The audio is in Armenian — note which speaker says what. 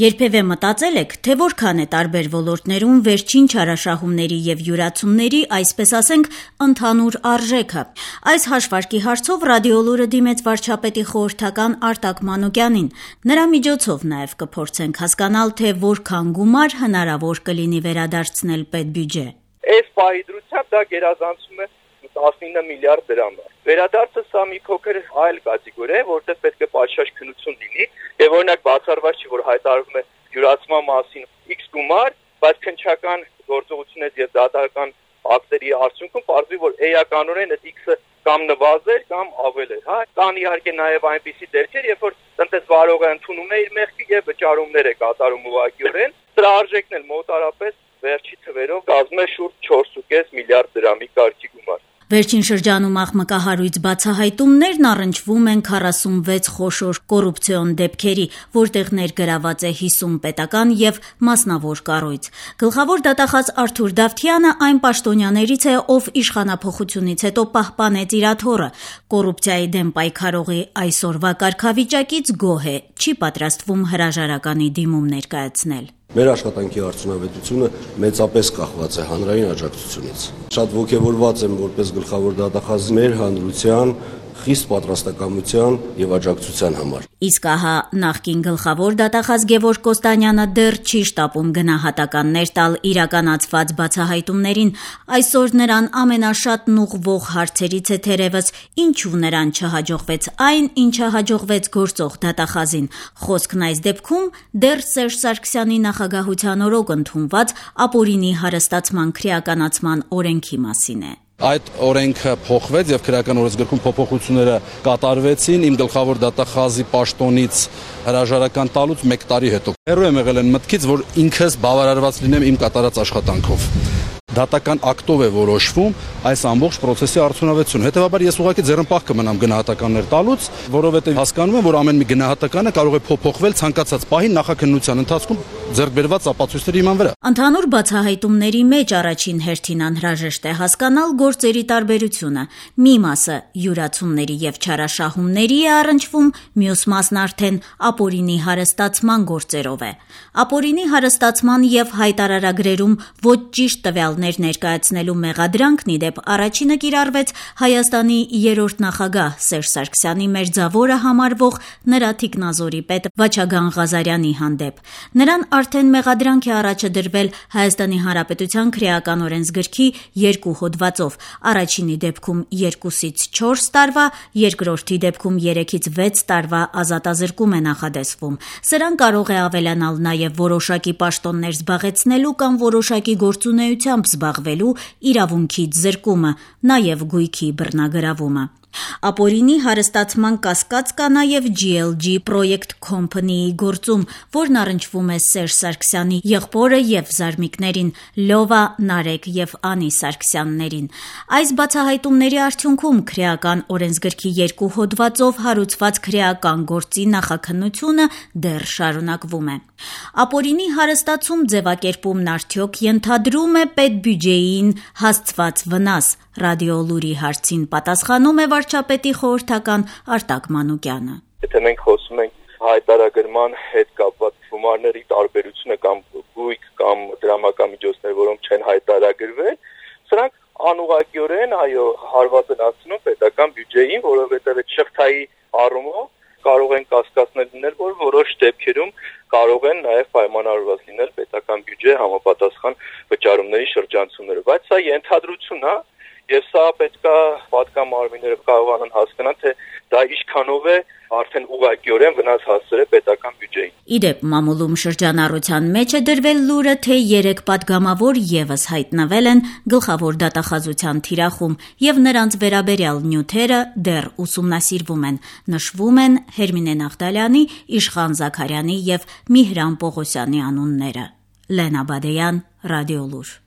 Speaker 1: Երբևէ մտածել եք, թե որքան է տարբեր ոլորտներում վերջին չարաշահումների եւ յուրացումների, այսպես ասենք, ընդհանուր արժեքը։ Այս հաշվարկի հարցով Ռադիոլուրը դիմեց վարչապետի խորհրդական Արտակ Մանուկյանին։ Նրա միջոցով նաեւ կփորձենք հասկանալ, թե որքան գումար հնարավոր կլինի վերադարձնել պետբյուջե։
Speaker 2: Այս պահի դրությամբ դա գերազանցում է 19 միլիարդ դրամ։ Վերադարձը սա մի փոքր այլ կատեգորիա է, որտեղ պետք է պատշաճ քննություն լինի, եւ օրինակ բացառված չի, որ հայտարարվում է յուրացման մասին X գումար, բայց քննչական գործողությունից եւ դատական ակտերի արդյունքում պարզվի, որ էականորեն այդ X-ը կամ նվազել կամ ավել էր, հա։ Կան իհարկե նաեւ այնպիսի դեպքեր, երբ որ տնտեսվարողը ընդունում է իր մեղքի եւ վճարումներ է կատարում ուղղակիորեն, դրա արժեքն էլ մոտարապես վերջի թվերով կազմում է շուրջ 4.5 միլիարդ դրամի կարգի գումար։
Speaker 1: Վերջին շրջանում աղմկահարույց բացահայտումներն առնչվում են 46 խոշոր կոռուպցիոն դեպքերի, որտեղ ներգրաված է 50 պետական եւ մասնավոր կառույց։ Գլխավոր դատախազ Արթուր Դավթյանը այն պաշտոնյաներից է, ով իշխանափոխությունից հետո պահպանեց իր աթոռը։ Կոռուպցիայի դեմ պայքարողի այսօրվա կարգավիճակից գոհ է, չի պատրաստվում հրաժարականի դիմում ներկայացնել։
Speaker 3: Մեր աշխատանքի արդյունավետությունը մեծապես կախված է հանրային աջակցությունից։ Շատ ոգևորված եմ որպես գլխավոր դատախազ մեր հանրության խիստ պատրաստակամության եւ աջակցության համար։
Speaker 1: Իսկ ահա նախկին գլխավոր դատախազ Գևորգ Կոստանյանը դեռ չի շտապում գնահատականներ տալ իրականացված բացահայտումներին։ Այսօր նրան ամենաշատն ուղղվող հարցերից է թերևս ինչու նրան չհաջողվեց այն, ինչը հաջողվեց գործող դատախազին։ Խոսքն այս դեպքում դեռ Սերժ Սարգսյանի նախագահության օրոք ընդունված ապօրինի հարստացման քրեականացման օրենքի մասին է։
Speaker 4: Այդ օրենքը փոխվեց եւ քրեական օրենսգրքում փոփոխությունները կատարվեցին իմ գլխավոր դատախազի պաշտոնից հրաժարական տալուց 1 տարի հետո։ Հեռու եմ եղել այն մտքից, որ ինքս բավարարված լինեմ իմ կատարած աշխատանքով։ Դատական ակտով է որոշվում այս ամբողջ process-ի արդյունավետությունը։ Հետևաբար ես ուղղակի ձեռնպահ կմնամ գնահատականներ տալուց, որովհետև հասկանում եմ, որ ամեն մի գնահատականը կարող է փոփոխվել ցանկացած պահի նախաքննության ընթացքում ձեռք բերված ապացույցների հիման վրա։
Speaker 1: Ընդհանուր բացահայտումների մեջ առաջին հերթին անհրաժեշտ է հասկանալ գործերի տարբերությունը։ Մի մասը յուրացումների եւ չարաշահումների է առնչվում, մյուս մասն արդեն ապօրինի հարստացման գործերով է։ Ապօրինի հարստացման եւ հայտարարագրերում ոչ ճիշտ տվյալներ ներկայացնելու մեղադրանքն ի դեպ առաջինը կիրառվեց Հայաստանի 3-րդ նախագահ Սերժ Սարգսյանի մերձավորը համարվող նրա թիկնազորի պետ Վաչագան Ղազարյանի հանդեպ։ Նրան արդեն մեղադրանք է առաջը դրվել Հայաստանի Հանրապետության քրեական օրենսգրքի 2 հոդվածով, առաջինի դեպքում 2-ից 4 տարվա, երկրորդի դեպքում 3-ից 6 տարվա ազատազրկում է նախադեсվում։ Սրան կարող է ավելանալ նաև որոշակի պաշտոններ զբաղեցնելու կամ որոշակի գործունեությամբ զբաղվելու իրավունքից զրկումը, նաև գույքի բռնագրավումը։ Ապօրինի հարստացման կասկած կա նաև GLG Project Company-ի գործում, որն առնչվում է Սերժ Սարգսյանի եղբորը եւ զարմիկներին Լովա, Նարեկ եւ Անի Սարգսյաններին։ Այս բացահայտումների արդյունքում քրեական օրենսգրքի 2 հոդվածով հարուցված քրեական գործի նախաքննությունը դեռ շարունակվում է։ Ապօրինի հարստացում ձևակերպումն արդյոք ենթադրում է պետբյուջեին հասցված վնաս։ Ռադիոլուրի հարցին պատասխանում է վարչապետի խորհրդական Արտակ Մանուկյանը։
Speaker 2: Եթե մենք խոսում ենք հայտարարման հետ կապված գումարների տարբերությունը կամ գույք կամ դրամական միջոցներ, որոնք չեն հայտարարվել, սրանք անուղղակիորեն հարվածնացնում պետական բյուջեին, որովհետև այդ շղթայի առումով կարող են կասկածներ լինել, որ որոշ դեպքերում կարող են նաև պայմանավորված լինել պետական բյուջե համապատասխան վճարումների շրջանցումները, բայց սա ենթադրություն է եւ սա պետքա պատգամարմինները կարողանան հասկանալ, թե դա ինչքանով է արդեն ուղղակիորեն վնաս հասցրել պետական բյուջեին։
Speaker 1: Իդեպ մամուլում շրջանառության մեջ է դրվել լուրը, թե 3 պատգամավոր եւս հայտնվել են գլխավոր դատախազության թիրախում եւ նրանց վերաբերյալ նյութերը դեռ ուսումնասիրվում են։ Նշվում են Հերմինե Նաղդալյանի, Իշխան Զաքարյանի եւ Միհրան Պողոսյանի անունները։ Լենա Բադեյան, Ռադիոլուր։